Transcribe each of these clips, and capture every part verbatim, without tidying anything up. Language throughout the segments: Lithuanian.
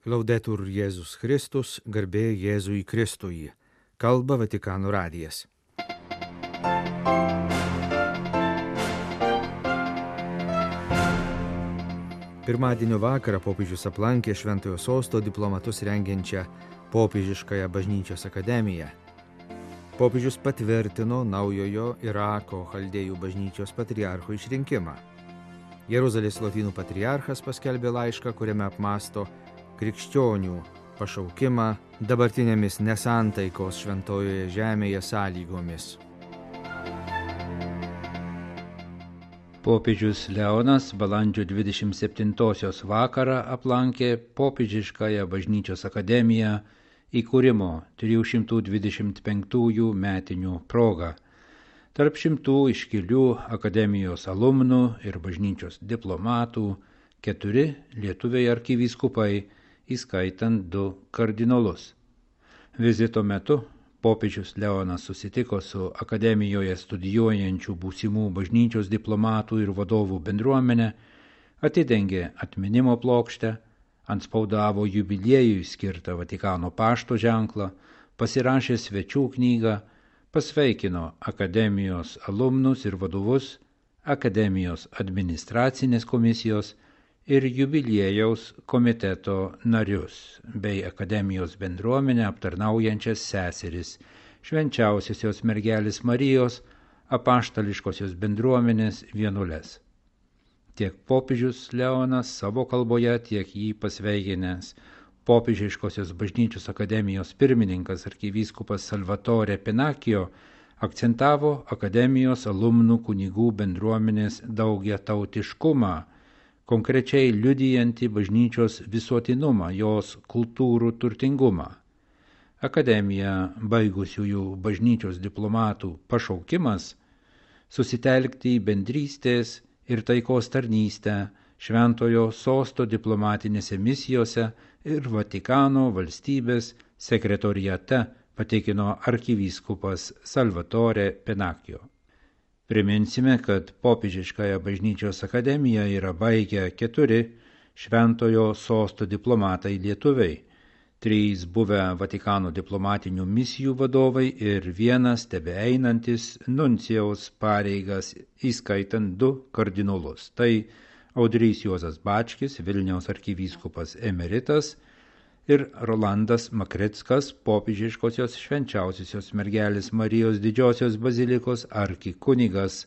Laudetur Jėzus Kristus, garbė Jėzui Kristui. Kalba Vatikano radijas. Pirmadienio vakarą popiežius aplankė Šventojo Sosto diplomatus rengiančią popiežiškąją bažnyčios akademiją. Popiežius patvirtino naujojo Irako chaldėjų bažnyčios patriarcho išrinkimą. Jeruzalės lotynų patriarchas paskelbė laišką, kuriame apmąsto krikščionių pašaukimą dabartinėmis nesantaikos šventojoje žemėje sąlygomis. Popiežius Leonas balandžio dvidešimt septintosios vakarą aplankė popiežiškąją bažnyčios akademiją įkūrimo trijų šimtų dvidešimt penktųjų metinių proga. Tarp šimtų iškilių akademijos alumnų ir bažnyčios diplomatų keturi lietuviai arkivyskupai, įskaitant du kardinolus. Vizito metu popiežius Leonas susitiko su akademijoje studijuojančių būsimų bažnyčios diplomatų ir vadovų bendruomenė, atidengė atminimo plokštę, antspaudavo jubiliejui skirtą Vatikano pašto ženklą, pasirašė svečių knygą, pasveikino akademijos alumnus ir vadovus, akademijos administracinės komisijos ir jubiliejaus komiteto narius, bei akademijos bendruomenę aptarnaujančias seseris, švenčiausiosios mergelės Marijos, apaštališkosios bendruomenės vienuoles. Tiek popiežius Leonas savo kalboje, tiek jį pasveikinęs popiežiškosios bažnyčios akademijos pirmininkas arkivyskupas Salvatore Pennacchio akcentavo akademijos alumnų kunigų bendruomenės daugiatautiškumą, konkrečiai liudijantį bažnyčios visuotinumą, jos kultūrų turtingumą. Akademija baigusiųjų bažnyčios diplomatų pašaukimas susitelkti į bendrystės ir taikos tarnystę Šventojo Sosto diplomatinėse misijose ir Vatikano valstybės sekretoriate, patikino arkivyskupas Salvatore Pennacchio. Priminsime, kad popiežiškąją bažnyčios akademiją yra baigę keturi Šventojo Sosto diplomatai lietuviai, trys buvę Vatikano diplomatinių misijų vadovai ir vienas tebeeinantis nuncijaus pareigas, įskaitant du kardinolus. Tai Audrys Juozas Bačkis, Vilniaus arkivyskupas emeritas, ir Rolandas Makrickas, popiežiškosios švenčiausiosios mergelės Marijos didžiosios bazilikos arkikunigas,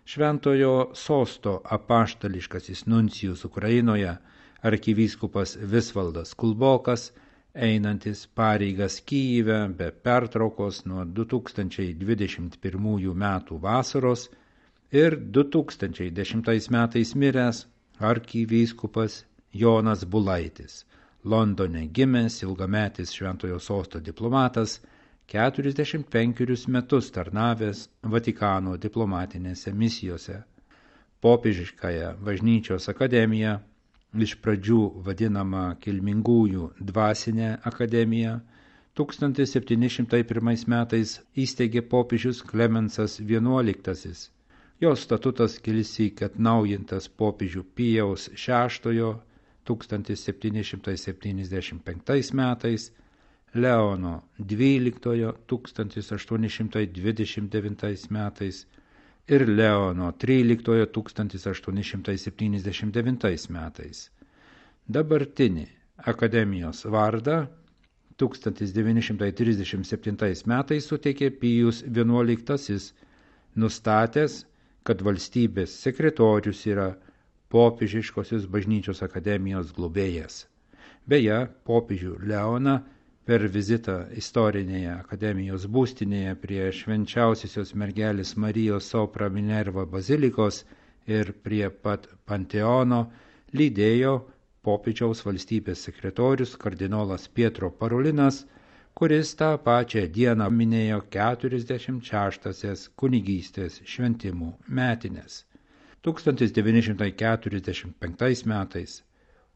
Šventojo Sosto apaštališkasis nuncijus Ukrainoje, arkivyskupas Visvaldas Kulbokas, einantis pareigas Kyjive be pertraukos nuo du tūkstančiai dvidešimt pirmųjų metų vasaros ir du tūkstančiai dešimtais metais miręs arkivyskupas Jonas Bulaitis, Londone gimęs ilgametis Šventojo Sosto diplomatas, keturiasdešimt penkerius metus tarnavęs Vatikano diplomatinėse misijose. Popiežiškąją bažnyčios akademiją, iš pradžių vadinama kilmingųjų dvasinė akademija, tūkstantis septyni šimtai pirmais metais įsteigė popiežius Klemensas vienuoliktasis. Jos statutas kilsyk atnaujintas popiežių Pijaus šeštojo tūkstantis septyni šimtai septyniasdešimt penktais metais, Leono dvyliktojo tūkstantis aštuoni šimtai dvidešimt devintais metais ir Leono tryliktojo tūkstantis aštuoni šimtai septyniasdešimt devintais metais. Dabartinį akademijos vardą tūkstantis devyni šimtai trisdešimt septintais metais suteikė Pijus vienuoliktasis, nustatęs, kad valstybės sekretorius yra popiežiškosios bažnyčios akademijos globėjas. Beje, popiežių Leoną per vizitą istorinėje akademijos būstinėje prie švenčiausiosios mergelės Marijos Sopra Minerva bazilikos ir prie pat Panteono lydėjo popiežiaus valstybės sekretorius kardinolas Pietro Parolinas, kuris tą pačią dieną minėjo keturiasdešimt šeštąsias kunigystės šventimų metines. tūkstantis devyni šimtai keturiasdešimt penktais metais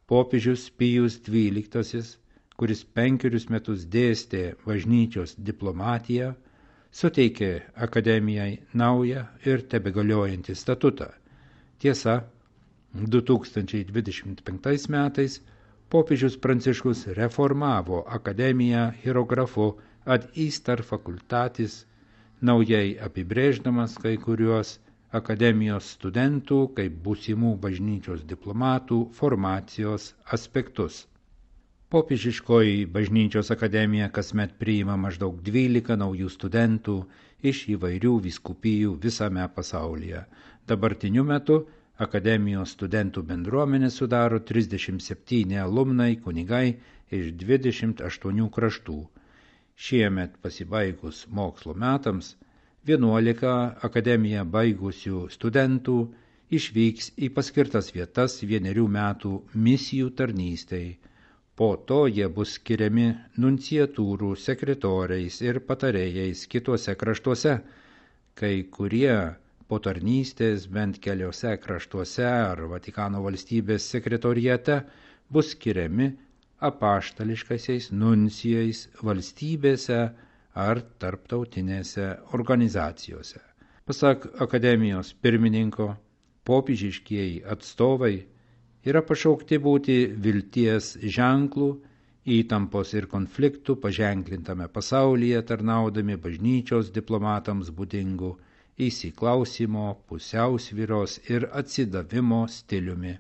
popiežius Pijus dvyliktasis, kuris penkerius metus dėstė bažnyčios diplomatiją, suteikė akademijai naują ir tebegaliojantį statutą. Tiesa, du tūkstančiai dvidešimt penktais metais Popiežius Pranciškus reformavo akademiją hierografu ad istar facultatis, naujai apibrėždamas kai kuriuos akademijos studentų kaip būsimų bažnyčios diplomatų formacijos aspektus. Popiežiškoji bažnyčios akademija kasmet priima maždaug dvylika naujų studentų iš įvairių vyskupijų visame pasaulyje. Dabartiniu metu akademijos studentų bendruomenė sudaro trisdešimt septyni alumnai kunigai iš dvidešimt aštuonių kraštų. Šiemet pasibaigus mokslo metams vienuolika akademiją baigusių studentų išvyks į paskirtas vietas vienerių metų misijų tarnystei. Po to jie bus skiriami nunciatūrų sekretoriais ir patarėjais kituose kraštuose. Kai kurie po tarnystės bent keliose kraštuose ar Vatikano valstybės sekretoriate bus skiriami apaštališkaisiais nuncijais valstybėse ar tarptautinėse organizacijose. Pasak akademijos pirmininko, popiežiškieji atstovai yra pašaukti būti vilties ženklų, įtampos ir konfliktų paženklintame pasaulyje, tarnaudami bažnyčios diplomatams būdingų įsiklausimo, pusiausvyros ir atsidavimo stiliumi.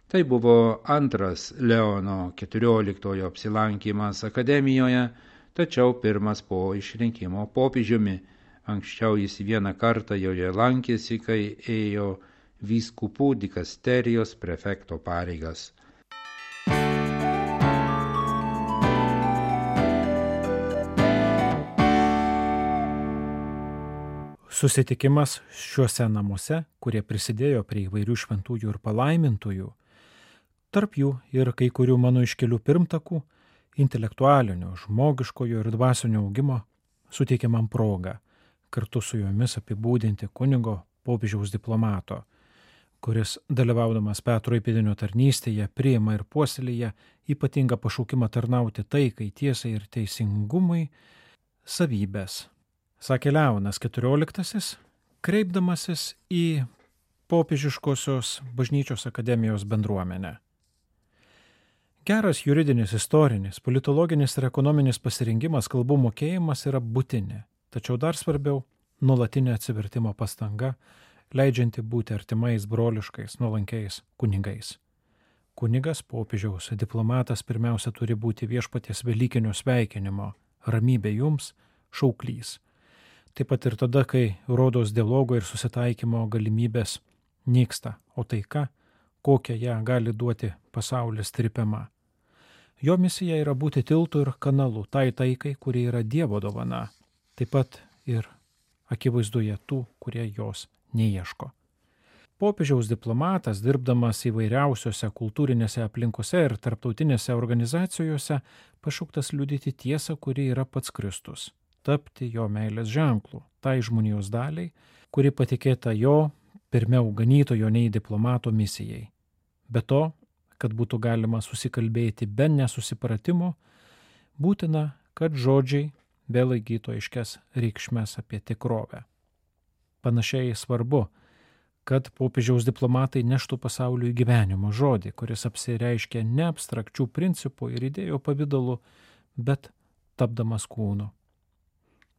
Tai buvo antras Leono keturioliktojo apsilankymas akademijoje, tačiau pirmas po išrinkimo popiežiumi. Anksčiau jis vieną kartą joje lankėsi, kai ėjo vyskupų dikasterijos prefekto pareigas. Susitikimas šiuose namuose, kurie prisidėjo prie įvairių šventųjų ir palaimintųjų, tarp jų ir kai kurių mano iškelių pirmtakų, intelektualinio, žmogiškojo ir dvasinio augimo, suteikia man progą kartu su jomis apibūdinti kunigo popiežiaus diplomato, kuris, dalyvaudamas Petro įpėdinio tarnystėje, priima ir puoselėja ypatingą pašaukimą tarnauti taikai, tiesai ir teisingumui savybės. Sakė Leonas keturioliktasis, kreipdamasis į popiežiškosios bažnyčios akademijos bendruomenę. Geras juridinis, istorinis, politologinis ir ekonominis pasirengimas, kalbų mokėjimas yra būtini, tačiau dar svarbiau – nuolatinė atsivertimo pastanga, leidžianti būti artimais, broliškais, nuolankiais kunigais. Kunigas, popiežiaus diplomatas pirmiausia turi būti viešpaties velykinio sveikinimo, ramybė jums, šauklys. Taip pat ir tada, kai rodos dialogo ir susitaikymo galimybės nyksta, o taika, kokią ją gali duoti pasaulis, trypiama. Jo misija yra būti tiltu ir kanalu tai taikai, kuri yra Dievo dovana, taip pat ir akivaizdoje tų, kurie jos neieško. Popiežiaus diplomatas, dirbdamas įvairiausiose kultūrinėse aplinkose ir tarptautinėse organizacijose, pašauktas liudyti tiesą, kuri yra pats Kristus, tapti jo meilės ženklų, tai žmonijos daliai, kuri patikėta jo pirmiau ganytojo nei diplomato misijai. Be to, kad būtų galima susikalbėti be nesusipratimo, būtina, kad žodžiai vėl įgytų aiškias reikšmes apie tikrovę. Panašiai svarbu, kad popiežiaus diplomatai neštų pasauliui gyvenimo žodį, kuris apsireiškia ne abstrakčių principų ir idėjų pavidalu, bet tapdamas kūnu.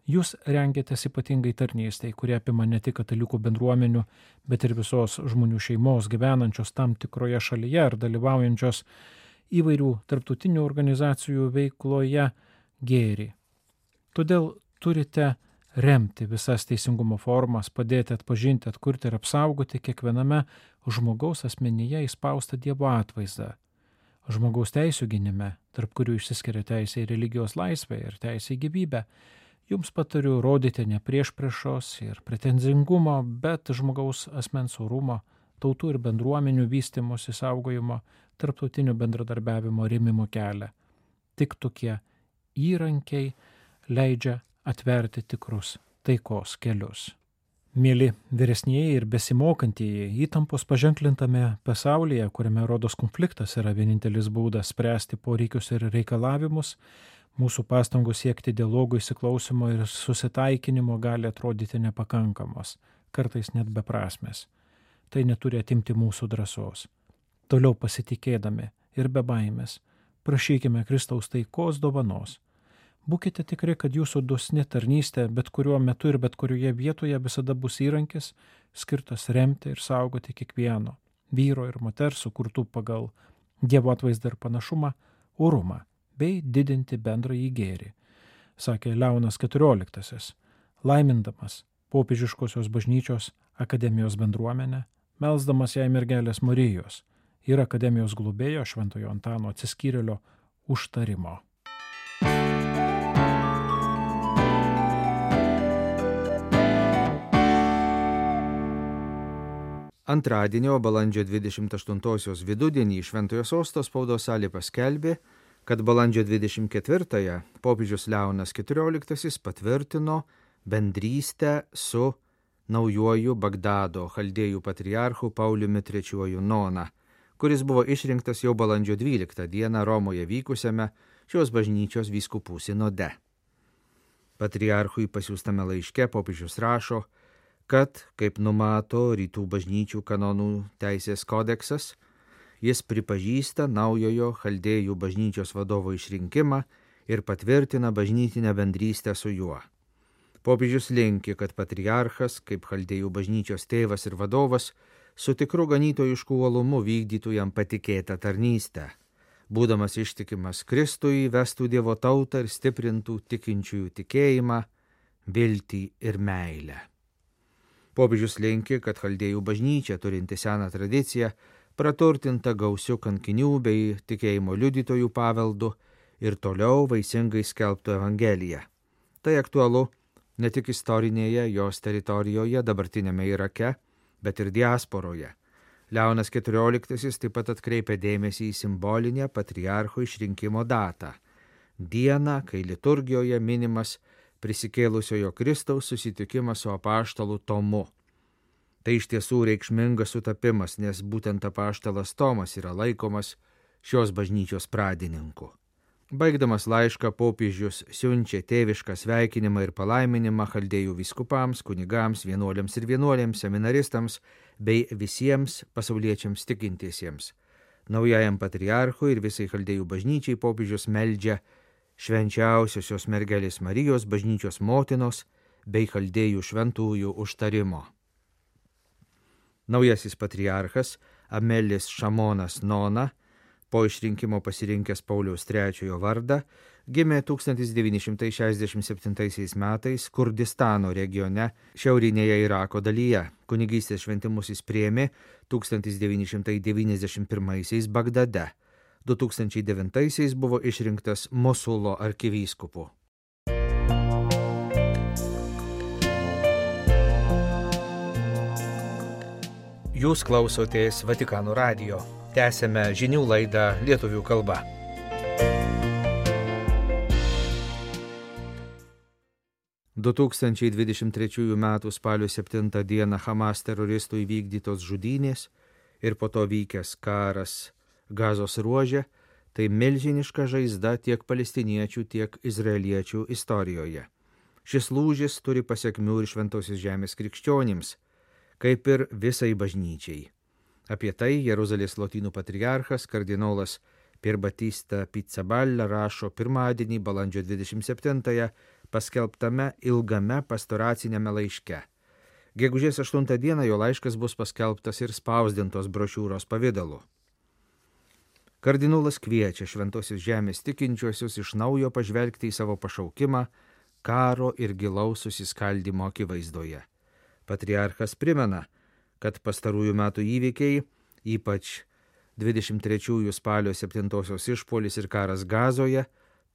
Jūs rengiatės ypatingai tarnystei, kurie apima ne tik katalikų bendruomenių, bet ir visos žmonių šeimos gyvenančios tam tikroje šalyje ar dalyvaujančios įvairių tarptautinių organizacijų veikloje gėrį. Todėl turite remti visas teisingumo formas, padėti atpažinti, atkurti ir apsaugoti kiekviename žmogaus asmenyje įspaustą Dievo atvaizdą. Žmogaus teisių gynime, tarp kurių išsiskiria teisė į religijos laisvę ir teisė į gyvybę, jums patariu rodyti ne priešpriešos ir pretenzingumo, bet žmogaus asmens orumo, tautų ir bendruomenių vystymosi saugojimo, tarptautinių bendradarbiavimo rėmimo kelią. Tik tokie įrankiai leidžia atverti tikrus taikos kelius. Mėly vyresnieji ir besimokantieji, įtampos paženklintame pasaulyje, kuriame rodos konfliktas yra vienintelis būdas spręsti poreikius ir reikalavimus, mūsų pastangos siekti dialogo, įsiklausimo ir susitaikinimo gali atrodyti nepakankamos, kartais net beprasmės. Tai neturi atimti mūsų drąsos. Toliau pasitikėdami ir be baimės. Prašykime Kristaus taikos dovanos. Būkite tikri, kad jūsų dosni tarnystė bet kuriuo metu ir bet kurioje vietoje visada bus įrankis, skirtas remti ir saugoti kiekvieno vyro ir moters sukurtų pagal Dievo atvaizdą ir panašumą, orumą bei didinti bendrąjį gėrį, sakė Leonas keturioliktasis, laimindamas popiežiškosios bažnyčios akademijos bendruomenę, melsdamas jai mergelės Marijos ir akademijos globėjo Šventojo Antano Atsiskyrėlio užtarimo. Antradienio balandžio dvidešimt aštuntosios vidudienį Šventojo Sosto spaudos salė paskelbė, kad balandžio dvidešimt ketvirtąją popiežius Leonas keturioliktasis patvirtino bendrystę su naujuoju Bagdado chaldėjų patriarchu Pauliumi trečiuoju Nona, kuris buvo išrinktas jau balandžio dvyliktą dieną Romoje vykusiame šios bažnyčios vyskupų sinode. Patriarchui pasiųstame laiške popiežius rašo, kad, kaip numato rytų bažnyčių kanonų teisės kodeksas, jis pripažįsta naujojo chaldėjų bažnyčios vadovo išrinkimą ir patvirtina bažnytinę bendrystę su juo. Popiežius linki, kad patriarchas, kaip chaldėjų bažnyčios tėvas ir vadovas, su tikru ganytojišku uolumu vykdytų jam patikėtą tarnystę, būdamas ištikimas Kristui, vestų Dievo tautą ir stiprintų tikinčiųjų tikėjimą, viltį ir meilę. Popiežius linki, kad chaldėjų bažnyčia, turinti seną tradiciją, praturtinta gausių kankinių bei tikėjimo liudytojų paveldu ir toliau vaisingai skelbtų Evangeliją. Tai aktualu ne tik istorinėje jos teritorijoje, dabartinėme Irake, bet ir diasporoje. Leonas keturioliktasis taip pat atkreipia dėmesį į simbolinę patriarcho išrinkimo datą – dieną, kai liturgijoje minimas prisikėlusiojo Kristaus susitikimas su apaštalu Tomu. Tai iš tiesų reikšmingas sutapimas, nes būtent apaštalas Tomas yra laikomas šios bažnyčios pradininku. Baigdamas laišką popiežius siunčia tėvišką sveikinimą ir palaiminimą chaldėjų vyskupams, kunigams, vienuoliams ir vienuolėms, seminaristams bei visiems pasauliečiams tikintiesiems. Naujajam patriarchui ir visai chaldėjų bažnyčiai popiežius meldžia švenčiausiosios mergelės Marijos bažnyčios motinos bei chaldėjų šventųjų užtarimo. Naujasis patriarchas Amelis Šamonas Nona, po išrinkimo pasirinkęs Pauliaus trečiojo vardą, gimė tūkstantis devyni šimtai šešiasdešimt septintaisiais metais Kurdistano regione šiaurinėje Irako dalyje. Kunigystės šventimus jis priėmė tūkstantis devyni šimtai devyniasdešimt pirmaisiais Bagdade. du tūkstančiai devintaisiais buvo išrinktas Mosulo arkivyskupu. Jūs klausotės Vatikano radijo. Tęsėme žinių laidą lietuvių kalba. du tūkstančiai dvidešimt trečiųjų metų spalio septintą dieną Hamas teroristų įvykdytos žudynės ir po to vykęs karas Gazos ruože, tai milžiniška žaizda tiek palestiniečių, tiek izraeliečių istorijoje. Šis lūžis turi pasiekmių ir Šventosios žemės krikščionims, kaip ir visai bažnyčiai. Apie tai Jeruzalės lotynų patriarchas kardinolas Pier Batista Pizzaballa rašo pirmadienį balandžio dvidešimt septintąją paskelbtame ilgame pastoracinėme laiške. Gegužės aštuntą dieną jo laiškas bus paskelbtas ir spausdintos brošiūros pavidalu. Kardinolas kviečia Šventosios žemės tikinčiuosius iš naujo pažvelgti į savo pašaukimą karo ir gilaus susiskaldymo akivaizdoje. Patriarchas primena, kad pastarųjų metų įvykiai, ypač dvidešimt trečiųjų spalio septintosios išpuolis ir karas Gazoje,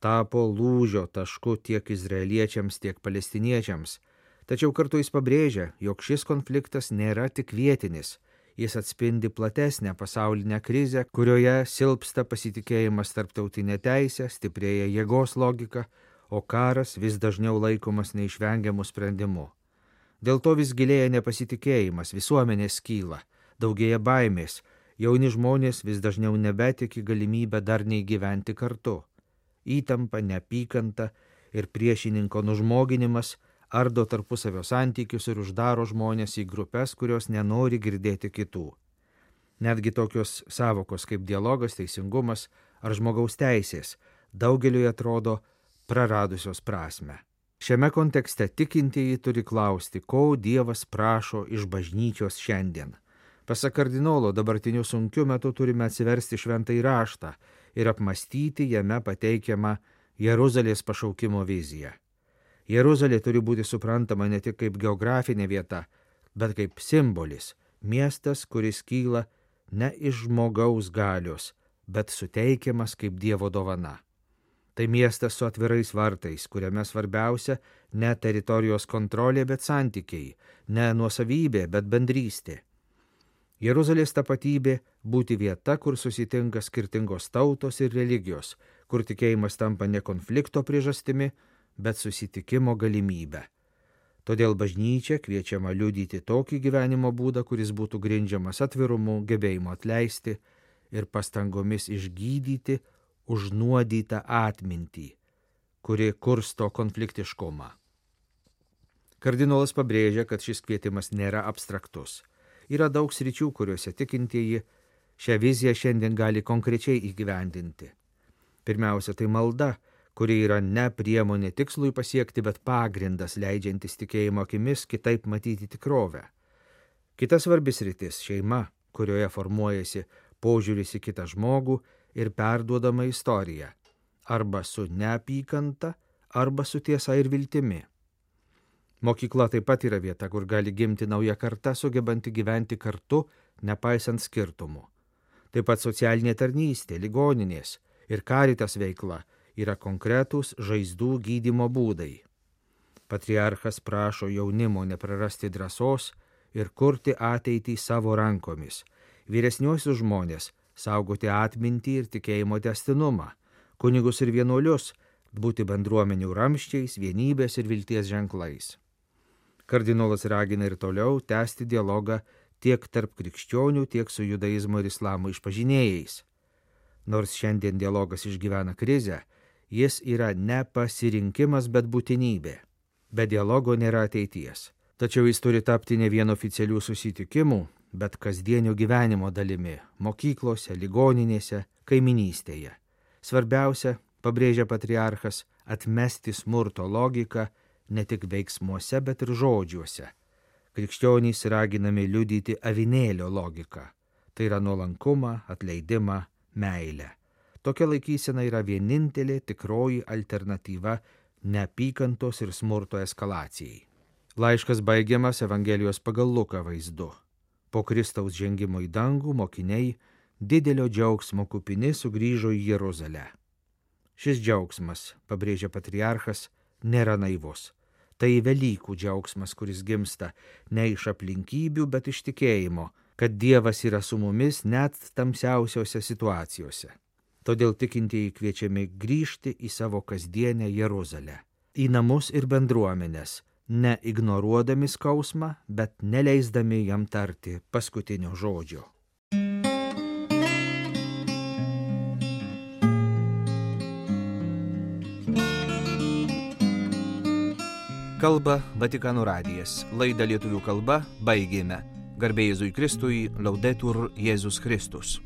tapo lūžio tašku tiek izraeliečiams, tiek palestiniečiams. Tačiau kartu jis pabrėžia, jog šis konfliktas nėra tik vietinis, jis atspindi platesnę pasaulinę krizę, kurioje silpsta pasitikėjimas tarptautinė teisė, stiprėja jėgos logika, o karas vis dažniau laikomas neišvengiamų sprendimų. Dėl to vis gilėja nepasitikėjimas, visuomenės skyla, daugėja baimės, jauni žmonės vis dažniau nebetiki galimybę darniai gyventi kartu. Įtampa, neapykanta ir priešininko nužmoginimas ardo tarpusavio santykius ir uždaro žmonės į grupes, kurios nenori girdėti kitų. Netgi tokios savokos kaip dialogas, teisingumas ar žmogaus teisės daugeliui atrodo praradusios prasme. Šiame kontekste tikintieji turi klausti, ko Dievas prašo iš bažnyčios šiandien. Pasak kardinolo, dabartiniu sunkiu metu turime atsiversti šventąjį raštą ir apmastyti jame pateikiamą Jeruzalės pašaukimo viziją. Jeruzalė turi būti suprantama ne tik kaip geografinė vieta, bet kaip simbolis, miestas, kuris kyla ne iš žmogaus galios, bet suteikiamas kaip Dievo dovana. Tai miestas su atvirais vartais, kuriame svarbiausia ne teritorijos kontrolė, bet santykiai, ne nuosavybė, bet bendrystė. Jeruzalės tapatybė būti vieta, kur susitinka skirtingos tautos ir religijos, kur tikėjimas tampa ne konflikto priežastimi, bet susitikimo galimybę. Todėl bažnyčia kviečiama liudyti tokį gyvenimo būdą, kuris būtų grindžiamas atvirumu, gebėjimu atleisti ir pastangomis išgydyti užnuodytą atmintį, kuri kursto konfliktiškumą. Kardinolas pabrėžia, kad šis kvietimas nėra abstraktus. Yra daug sričių, kuriuose tikintieji šią viziją šiandien gali konkrečiai įgyvendinti. Pirmiausia, tai malda, kuri yra ne priemonė tikslui pasiekti, bet pagrindas leidžiantis tikėjimo akimis kitaip matyti tikrovę. Kita svarbi sritis - šeima, kurioje formuojasi požiūris į kitą žmogų ir perduodama istorija, arba su neapykanta, arba su tiesa ir viltimi. Mokykla taip pat yra vieta, kur gali gimti nauja karta, sugebanti gyventi kartu, nepaisant skirtumų. Taip pat socialinė tarnystė, ligoninės ir karitas veikla yra konkretūs žaizdų gydymo būdai. Patriarchas prašo jaunimo neprarasti drąsos ir kurti ateitį savo rankomis, vyresniuosius žmonės saugoti atmintį ir tikėjimo tęstinumą, kunigus ir vienuolius būti bendruomenių ramščiais, vienybės ir vilties ženklais. Kardinolas ragina ir toliau tęsti dialogą tiek tarp krikščionių, tiek su judaizmo ir islamo išpažinėjais. Nors šiandien dialogas išgyvena krizę, jis yra ne pasirinkimas, bet būtinybė. Be dialogo nėra ateities. Tačiau jis turi tapti ne vien oficialių susitikimų, bet kasdienio gyvenimo dalimi - mokyklose, ligoninėse, kaiminystėje. Svarbiausia, pabrėžia patriarchas, atmesti smurto logiką ne tik veiksmuose, bet ir žodžiuose. Krikščionys raginami liudyti avinėlio logiką. Tai yra nuolankumą, atleidimą, meilę. Tokia laikysena yra vienintelė tikroji alternatyva neapykantos ir smurto eskalacijai. Laiškas baigiamas Evangelijos pagal Luką vaizdu. Po Kristaus žengimo į dangų mokiniai didelio džiaugsmo kupini sugrįžo į Jeruzalę. Šis džiaugsmas, pabrėžia patriarchas, nėra naivus. Tai Velykų džiaugsmas, kuris gimsta ne iš aplinkybių, bet iš tikėjimo, kad Dievas yra su mumis net tamsiausiose situacijose. Todėl tikintieji kviečiami grįžti į savo kasdienę Jeruzalę, į namus ir bendruomenės, ne ignoruodami skausmą, bet neleisdami jam tarti paskutinio žodžio. Kalba Vatikano radijas. Laidą lietuvių kalba baigėme. Garbė Jėzui Kristui, Laudetur Jėzus Kristus.